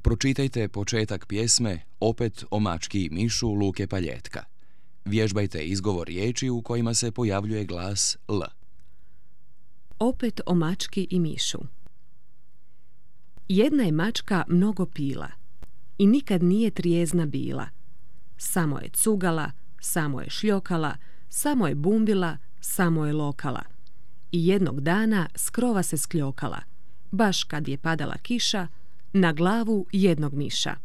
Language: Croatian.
Pročitajte početak pjesme Opet o mački i mišu Luke Paljetka. Vježbajte izgovor riječi u kojima se pojavljuje glas L. Opet o mački i mišu. Jedna je mačka mnogo pila i nikad nije trijezna bila. Samo je cugala, samo je šljokala, samo je bumbila, samo je lokala. I jednog dana s krova se skljokala, baš kad je padala kiša, na glavu jednog miša.